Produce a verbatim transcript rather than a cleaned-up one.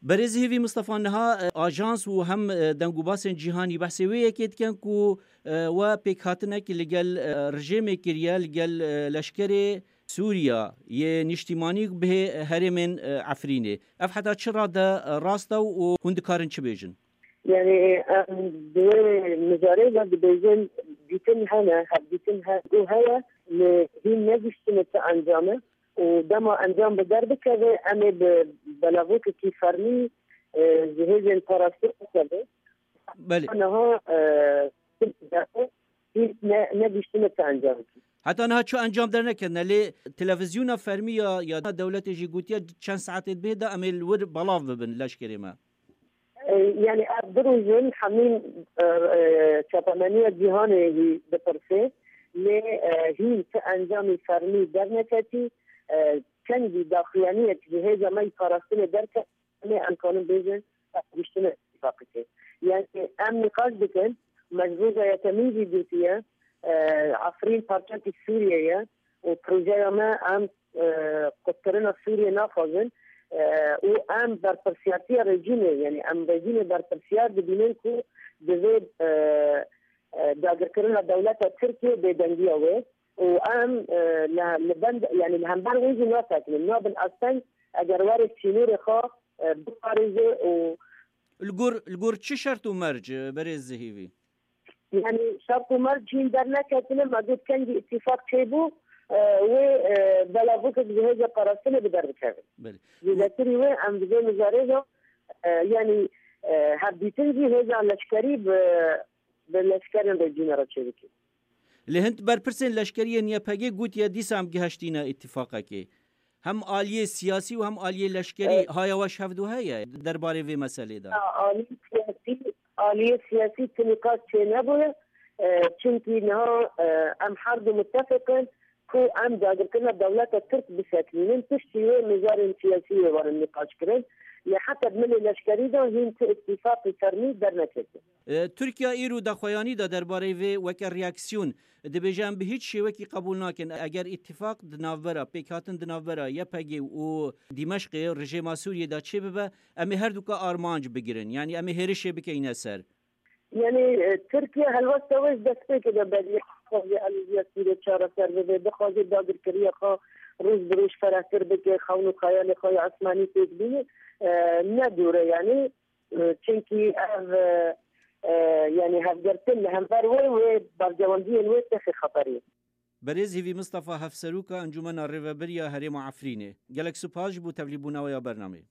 Berêz Hêvî Mistefa, niha e, ajans û hem e, dengûbasên cîhanî behsê wê yekê dikin ku e, we pêkhatinek li gel e, rejêmê kiriye, li gel e, leşkerê Sûriya yê nîştîmanî bihê herêmên e, Efrînê. Ev heta çi rade e, rast e û hûn dikarin çi bêjin? Yani em di wê mijarê de dibêjin dîtin hene, hevdîtin he û heye, lê hîn negihiştine ti encame û dema encam bi der bikeve, em ê bi belavokekî fermî e, ji hêzên parastinê bikeve. Belê. Niha e, hîn ne, negihiştine ti encamekî. Heta niha çi encam derneketine, lê televîzyona fermî ya, ya dewletê jî gotiye çend saetê dibê de em ê li wir belav bibin leşkerê me. E, yani ev du roj in hemîn e, e, çapemeniya cîhanê hî dipirse, lê e, hîn ti encamî fermî derneketî, e, çendî daxuyaniyek ji hêza me yî parastinê derket, em ê em kanin bêjin, ev giştine îtîfaqekê. Yani em nîqaş dikin, me ji roja yekemîn jî gotiye, e, Efrîn parçekî Sûriye ye û projeya me em e, qutkirina Sûriyê naxwazin e, û em berpirsiyartiya rejîmê, yani em rejîmê berpirsiyar dibînin ku divê e, e, dagirkirina dewleta Tirkiyê bêdengiya wê û em e, li, li bend, yani li hember wê jî nasekinin, nabin asteng eger were sînorê xwe e, biparêze û Li gor, li gor çi şert û merc, e, berêz Zihîvî? Yani şert û merc hîn derneketine, me got kengî îtîfaq çêbû, e, wê e, belavokek ji hêza parastinê bi der bikevin. Belê. Zêdetirî wê em di vê mijarê de e, yani e, hevdîtin jî hêza leşkerî bi, bi leşkerên rejîmê re çêbikin. Lê hin berpirsên leşkerî yên Y P G gotiye dîsa em giheştîne îtîfaqekê. Hem aliyê siyasî û hem aliyê leşkerî Evet. haya we ji hevdu heye derbarê vê meselê de? Ha, aliyê siyasî, aliyê siyasî ti nîqaş çênebûye. E, çimkî niha e, em her du mutefeq in ku em dagirkirina dewleta Tirk bisekinînin. Piştî wê mijarên siyasî wê werin nîqaş kirin. Lê heta bi milê leşkerî de hîn ti îtîfaqî fermî derneketiye. E, Tirkiye îro daxuyanî da derbarê vê weke reaksiyon. Dibêje, em bi hîç şêwekî qebûl nakin. Eger îtîfaq di navbera, pêkhatin di navbera Y P G û Dîmeşqê, rejêma Sûriyê de çêbibe, em ê her duka armanc bigirin. Yanî em ê hêrişê bikeyne ser. Yani e, Tirkiye helwesta wê ji destpêkê de beriya dixwaze alîziya Sûriyê çareser bibe, dixwaze dagirkeriya xwe roj bi roj ferehtir bike, xewn û xeyalê xwe ya esmanî têk bîne. E, ne dûr e yani. E, çimkî ev e, e, yani hevgirtin li hember wê, wê berjewendiyên wê têxe xeterê. Berêz Hêvî Mistefa, Hevseroka Encûmena Rêveberiya Herêma Efrînê, gelek spas ji bo tevlîbûna we ya bernameyê.